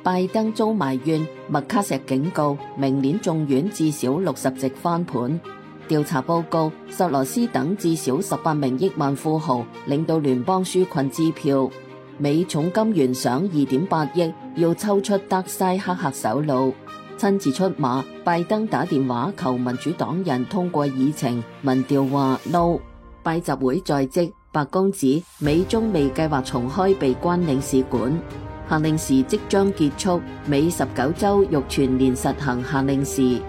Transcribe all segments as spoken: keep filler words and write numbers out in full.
拜登遭埋怨，麥卡錫警告明年眾院至少六十席翻盤。調查報告，索羅斯等至少十八名億萬富豪領到聯邦紓困支票，美重金懸賞二點八億，要抽出德西克赫首腦。親自出馬，拜登打電話求民主黨人通過議程，民調話 no。拜習會在即，白宮指美中未計劃重開閉關領事館，夏令時即將結束，美十九州欲全年實行夏令時。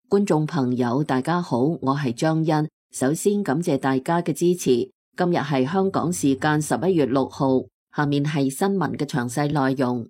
觀眾朋友大家好，我係張欣，首先感謝大家嘅支持。今日係香港時間十一月六號，下面係新聞嘅詳細內容。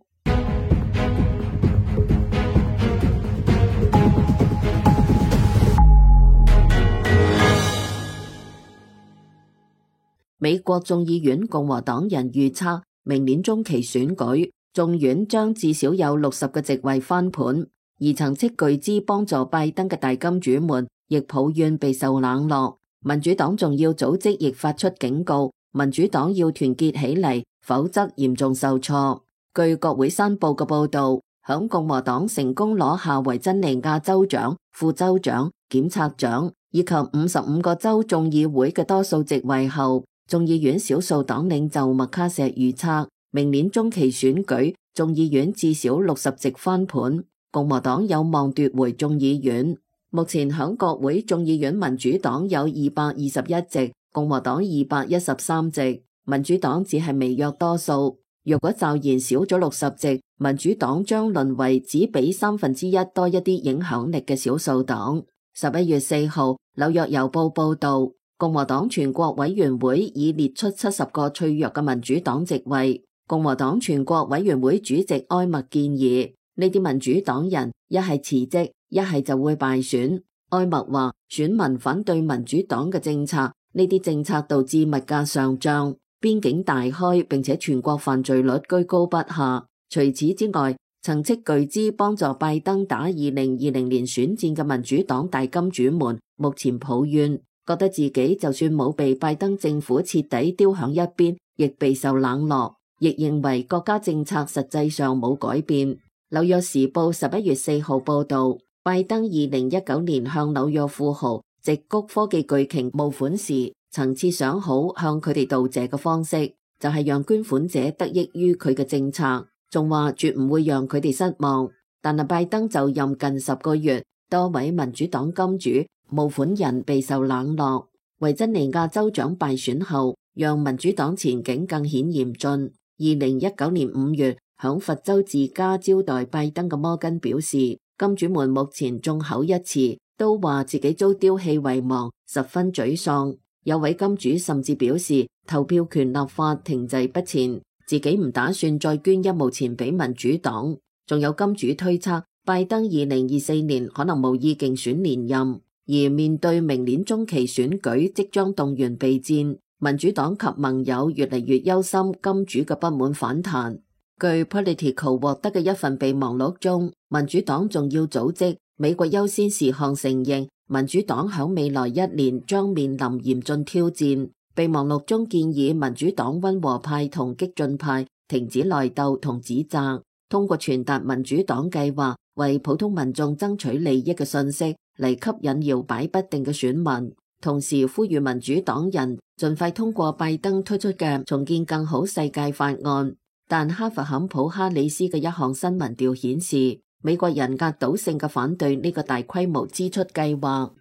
美國眾議院共和黨人預測，明年中期選舉，眾院將至少有六十個席位翻盤，而曾斥巨資幫助拜登嘅大金主們，亦抱怨備受冷落。民主黨重要組織亦發出警告，民主黨要團結起嚟，否則嚴重受挫。據國會山報嘅報道，響共和黨成功攞下維珍尼亞州長、副州長、檢察長以及五十五個州眾議會嘅多數席位後，眾議院少數黨領袖麥卡錫預測，明年中期選舉，眾議院至少六十席翻盤，共和黨有望奪回眾議院。目前響國會眾議院民主黨有二百二十一席，共和黨二百一十三席，民主黨只係微弱多數。若果驟然少咗六十席，民主黨將淪為只比三分之一多一啲影響力嘅少數黨。十一月四號，紐約郵報報道，共和黨全國委員會已列出七十個脆弱嘅民主黨席位。共和黨全國委員會主席埃默建議，呢啲民主黨人一係辭職，一係就會敗選。埃默話，選民反對民主黨嘅政策，呢啲政策導致物價上漲，邊境大開，並且全國犯罪率居高不下。除此之外，曾斥巨資幫助拜登打二零二零年選戰嘅民主黨大金主們，目前抱怨，覺得自己就算冇被拜登政府徹底丟響一邊，亦備受冷落，亦認為國家政策實際上冇改變。紐約時報十一月四號報道，拜登二零一九年向紐約富豪、矽谷科技巨擎募款時，曾設想好向佢哋道謝嘅方式，就係讓捐款者得益於佢嘅政策，仲話絕唔會讓佢哋失望。但係拜登就任近十個月，多位民主黨金主、募款人備受冷落。維珍尼亞州長敗選後，讓民主黨前景更顯嚴峻。二零一九年五月，響佛州自家招待拜登嘅摩根表示，金主們目前眾口一詞，都話自己遭丟棄遺忘，十分沮喪。有位金主甚至表示，投票權立法停滯不前，自己唔打算再捐一毛錢俾民主黨。仲有金主推測，拜登二零二四年可能無意競選連任。而面對明年中期選舉即將動員備戰，民主黨及盟友越嚟越憂心金主嘅不滿反彈。據 Politico 獲得嘅一份備忘錄中，民主黨重要組織美國優先事項承認，民主黨響未來一年將面臨嚴峻挑戰。備忘錄中建議民主黨溫和派同激進派停止內鬥同指責，通過傳達民主黨計劃為普通民眾爭取利益嘅信息嚟吸引搖擺不定嘅選民，同時呼籲民主黨人盡快通過拜登推出嘅重建更好世界法案。但哈佛坎普哈里斯嘅一項新民調顯示，美國人壓倒性嘅反對呢個大規模支出計劃。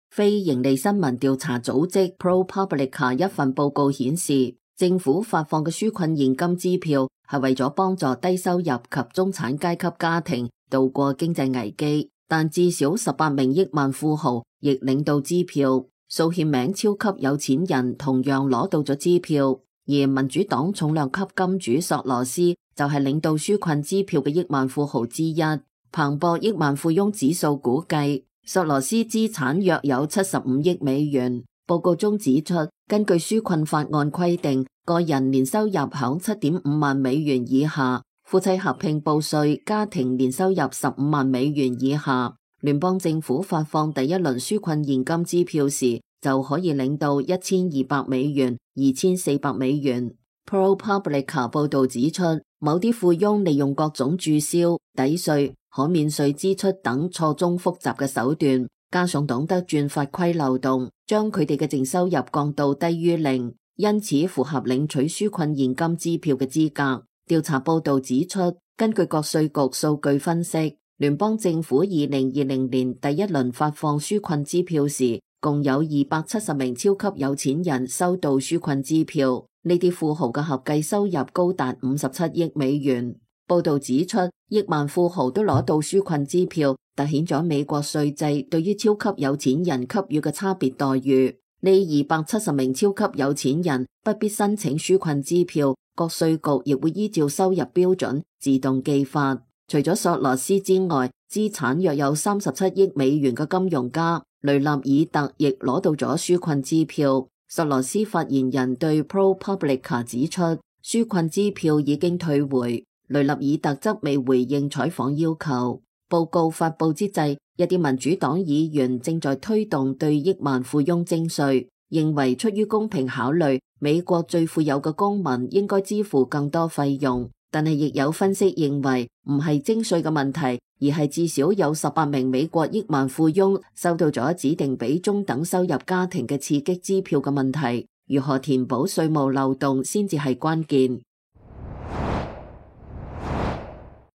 非營利新聞調查組織 ProPublica 一份報告顯示，政府發放嘅紓困現金支票係為咗幫助低收入及中產階級家庭度過經濟危機，但至少十八名億萬富豪亦領到支票，數千名超級有錢人同樣攞到咗支票，而民主黨重量級金主索羅斯就係領到紓困支票嘅億萬富豪之一。彭博億萬富翁指數估計，索羅斯資產約有七十五億美元。報告中指出，根據紓困法案規定，個人年收入響七點五萬美元以下，夫妻合併報稅，家庭年收入十五萬美元以下，聯邦政府發放第一輪紓困現金支票時，就可以領到一千二百美元、二千四百美元。ProPublica 報導指出，某啲富翁利用各種註銷、抵稅、可免稅支出等錯綜複雜嘅手段，加上懂得鑽法規漏洞，將佢哋嘅淨收入降到低於零，因此符合領取紓困現金支票嘅資格。調查報導指出，根據國稅局數據分析，聯邦政府二零二零年第一輪發放紓困支票時，共有二百七十名超級有錢人收到紓困支票，呢啲富豪嘅合計收入高達五十七億美元。報導指出，億萬富豪都攞到紓困支票，凸顯咗美國稅制對於超級有錢人給予嘅差別待遇。呢二百七十名超級有錢人不必申請紓困支票，國稅局亦會依照收入標準自動寄發。除咗索羅斯之外，資產約有三十七億美元嘅金融家雷納爾特亦攞到咗紓困支票。索羅斯發言人對 ProPublica 指出，紓困支票已經退回，雷納爾特則未回應採訪要求。報告發佈之際，一啲民主黨議員正在推動對億萬富翁徵稅，認為出於公平考慮，美國最富有嘅公民應該支付更多費用。但係亦有分析認為，唔係徵稅嘅問題，而係至少有十八名美國億萬富翁收到咗指定俾中等收入家庭嘅刺激支票嘅問題。如何填補稅務漏洞先至係關鍵。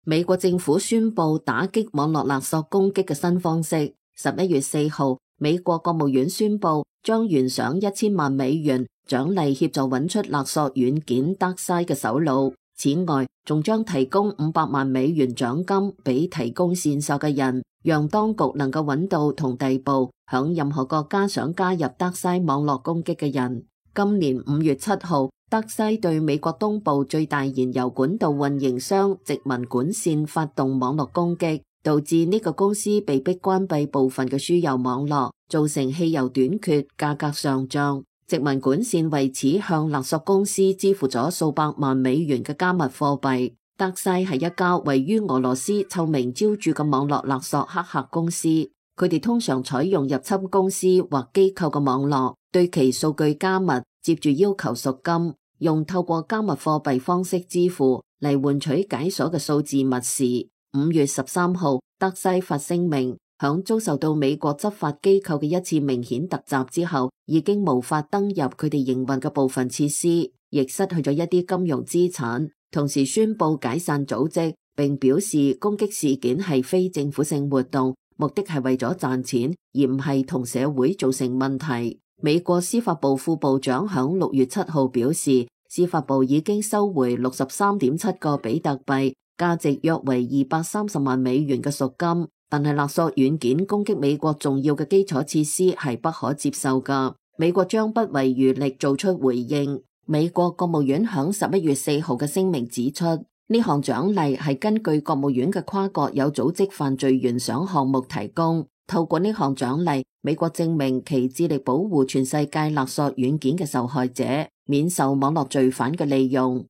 美國政府宣布打擊網絡勒索攻擊嘅新方式。十一月四號，美國國務院宣布將懸賞一千萬美元獎勵協助揾出勒索軟件 DarkSide 嘅首腦。此外，仲將提供五百萬美元獎金俾提供線索嘅人，讓當局能夠揾到同逮捕響任何國家想加入 DarkSide 網絡攻擊嘅人。今年五月七號，DarkSide 對美國東部最大燃油管道運營商殖民管線發動網絡攻擊，導致呢個公司被迫關閉部分嘅輸油網絡，造成汽油短缺、價格上漲。殖民管線為此向勒索公司支付咗數百萬美元嘅加密貨幣。DarkSide係一家位於俄羅斯臭名昭著嘅網絡勒索黑客公司，佢哋通常採用入侵公司或機構嘅網絡，對其數據加密，接住要求贖金，用透過加密貨幣方式支付嚟換取解鎖嘅數字密匙。五月十三號，DarkSide發聲明，響遭受到美國執法機構嘅一次明顯突襲之後，已經無法登入佢哋營運嘅部分設施，亦失去咗一啲金融資產，同時宣布解散組織，並表示攻擊事件係非政府性活動，目的係為咗賺錢，而唔係同社會造成問題。美國司法部副部長響六月七號表示，司法部已經收回六十三點七個比特幣，價值約為二百三十萬美元嘅贖金。但係勒索軟件攻擊美國重要嘅基礎設施係不可接受㗎，美國將不遺餘力做出回應。美國國務院響十一月四號嘅聲明指出，呢項獎勵係根據國務院嘅跨國有組織犯罪懸賞項目提供。透過呢項獎勵，美國證明其致力保護全世界勒索軟件嘅受害者免受網絡罪犯嘅利用。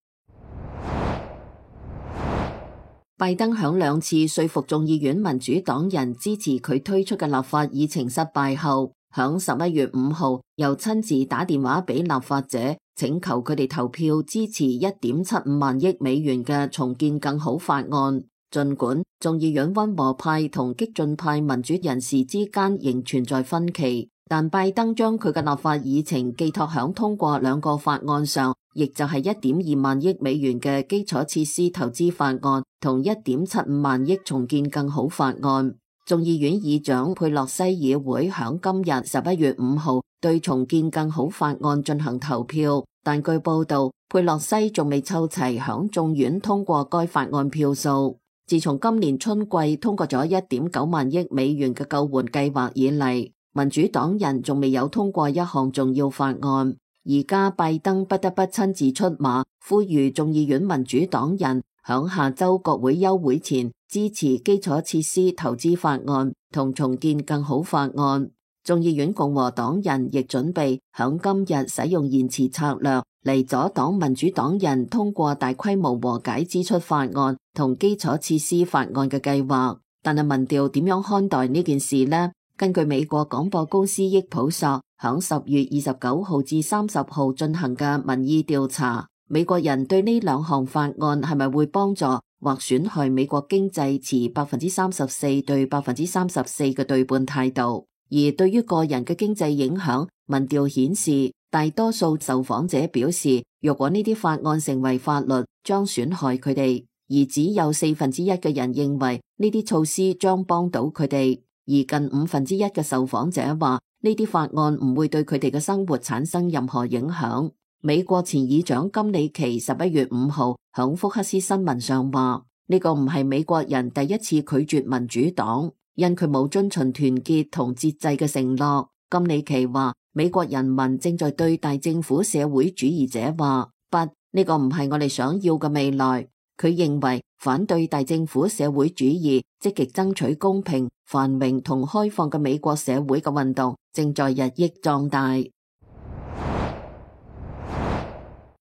拜登響兩次說服眾議院民主黨人支持佢推出嘅立法議程失敗後，響十一月五號又親自打電話俾立法者，請求佢哋投票支持一點七五萬億美元嘅重建更好法案。儘管眾議院溫和派同激進派民主人士之間仍存在分歧，但拜登將佢嘅立法議程寄託響通過兩個法案上，亦就係一點二萬億美元嘅基礎設施投資法案同一點七五萬億重建更好法案。眾議院議長佩洛西議會響今日十一月五號對重建更好法案進行投票，但據報道，佩洛西仲未湊齊響眾院通過該法案票數。自從今年春季通過咗一點九萬億美元嘅救援計劃以嚟，民主黨人仲未有通過一項重要法案。而家拜登不得不親自出馬，呼籲眾議院民主黨人響下周國會休會前支持基礎設施投資法案同重建更好法案。眾議院共和黨人亦準備響今日使用延遲策略嚟阻擋民主黨人通過大規模和解支出法案同基礎設施法案嘅計劃。但係民調點樣看待呢件事呢？根據美國廣播公司益普索響十月二十九號至三十號進行嘅民意調查，美國人對呢兩項法案係咪會幫助或損害美國經濟持百分之三十四對百分之三十四嘅對半態度。而對於個人嘅經濟影響，民調顯示大多數受訪者表示，若果呢啲法案成為法律，將損害佢哋，而只有四分之一嘅人認為呢啲措施將幫到佢哋，而近五分之一嘅受訪者話呢啲法案唔會對佢哋嘅生活產生任何影響。美國前議長金里奇十一月五號響福克斯新聞上話，呢個唔係美國人第一次拒絕民主黨，因佢冇遵循團結同節制嘅承諾。金里奇話，美國人民正在對大政府社會主義者話，不，呢個唔係我哋想要嘅未來。佢認為反對大政府社會主義、積極爭取公平、繁榮同開放嘅美國社會嘅運動正在日益壯大。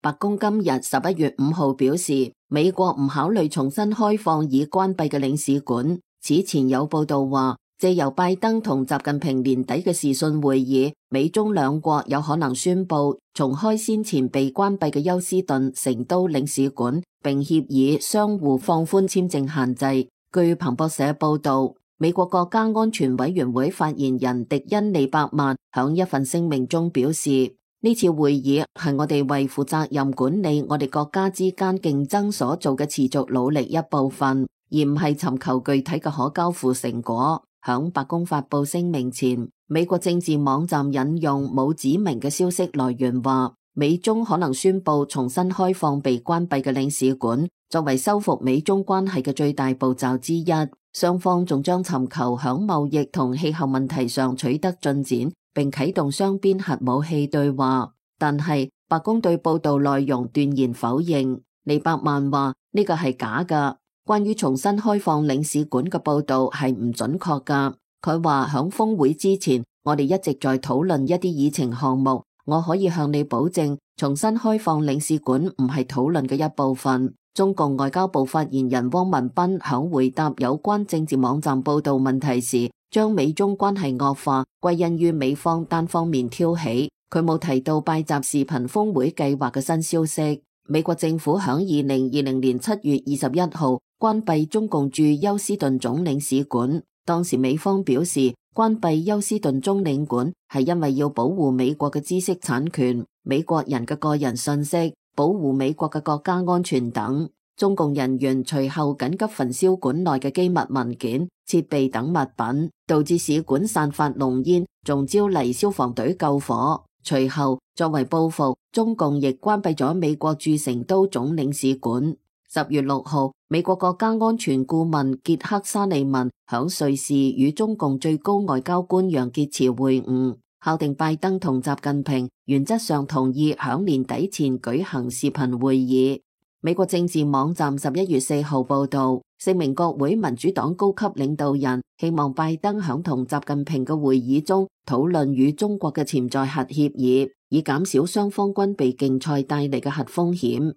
白宮今日十一月五號表示，美國唔考慮重新開放已關閉嘅領事館。此前有報道話，借由拜登同習近平年底嘅視訊會議，美中兩國有可能宣布重開先前被關閉嘅休斯頓、成都領事館，並協議相互放寬簽證限制。據彭博社報道，美國國家安全委員會發言人迪恩利伯曼響一份聲明中表示，呢次會議係我哋為負責任管理我哋國家之間競爭所做嘅持續努力一部分，而唔係尋求具體嘅可交付成果。響白宮發佈聲明前，美國政治網站引用冇指明嘅消息來源話，美中可能宣布重新開放被關閉嘅領事館，作為修復美中關係嘅最大步驟之一。雙方仲將尋求響貿易同氣候問題上取得進展，並啟動雙邊核武器對話。但係白宮對報道內容斷然否認。利伯曼話呢個係假㗎，關於重新開放領事館嘅報道係唔準確㗎。佢話響峰會之前，我哋一直在討論一啲議程項目。我可以向你保證，重新開放領事館唔係討論嘅一部分。中共外交部發言人汪文斌響回答有關政治網站報道問題時，將美中關係惡化歸因於美方單方面挑起。佢冇提到拜習視頻峰會計劃嘅新消息。美國政府響二零二零年七月二十一號關閉中共駐休斯頓總領事館，當時美方表示關閉休斯頓總領館係因為要保護美國嘅知識產權、美國人嘅個人信息、保護美國嘅國家安全等。中共人員隨後緊急焚燒館內嘅機密文件、設備等物品，導致使館散發濃煙，仲招嚟消防隊救火。隨後作為報復，中共亦關閉咗美國駐成都總領事館。十月六號，美國國家安全顧問傑克沙利文響瑞士與中共最高外交官楊潔篪會晤，敲定拜登同習近平原則上同意響年底前舉行視頻會議。美國政治網站十一月四號報道，四名國會民主黨高級領導人希望拜登響同習近平嘅會議中討論與中國嘅潛在核協議，以減少雙方軍備競賽帶嚟嘅核風險。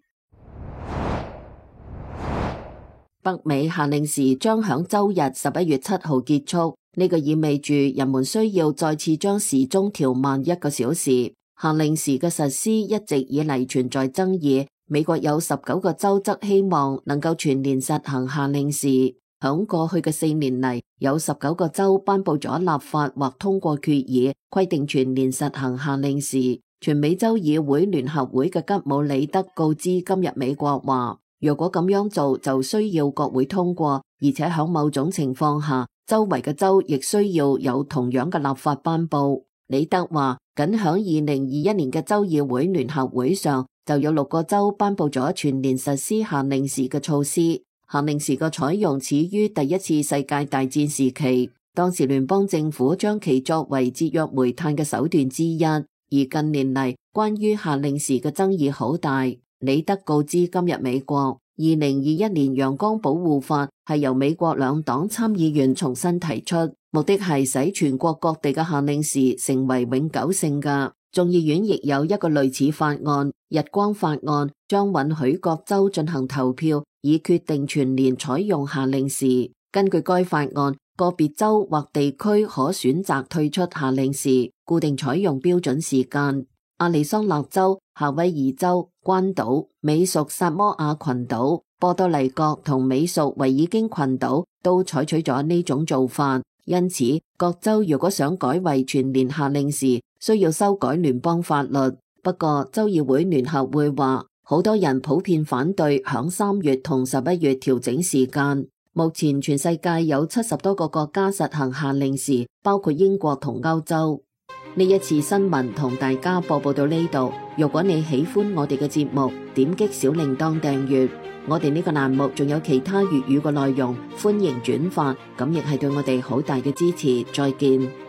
北美夏令時將響周日十一月七號結束，呢個意味住人們需要再次將時鐘調慢一個小時。夏令時嘅實施一直以嚟存在爭議。美國有十九個州則希望能夠全年實行夏令時。響過去嘅四年嚟，有十九個州頒布咗立法或通過決議，規定全年實行夏令時。全美州議會聯合會嘅吉姆里德告知今日美國話，若果咁樣做，就需要國會通過，而且響某種情況下，周圍嘅州亦需要有同樣嘅立法頒布。里德話，僅響二零二一年嘅州議會聯合會上，就有六個州頒布咗全年實施夏令時嘅措施。夏令時嘅採用始於第一次世界大戰時期，當時聯邦政府將其作為節約煤炭嘅手段之一。而近年嚟，關於夏令時嘅爭議好大。里德告知今日美國，二零二一年陽光保護法係由美國兩黨參議員重新提出，目的係使全國各地嘅夏令時成為永久性嘅。眾議院亦有一個類似法案，日光法案，將允許各州進行投票，以決定全年採用夏令時。根據該法案，個別州或地區可選擇退出夏令時，固定採用標準時間。亞利桑那州、夏威夷州、關島、美屬薩摩亞群島、波多黎各同美屬維爾京群島都採取咗呢種做法。因此，各州如果想改為全年夏令時，需要修改聯邦法律。不過，州議會聯合會話，好多人普遍反對響三月同十一月調整時間。目前全世界有七十多個國家實行夏令時，包括英國同歐洲。呢一次新聞同大家播報到呢度。如果你喜歡我哋嘅節目，點擊小鈴鐺訂閱。我哋呢個欄目仲有其他粵語嘅內容，歡迎轉發，咁亦係對我哋好大嘅支持。再見。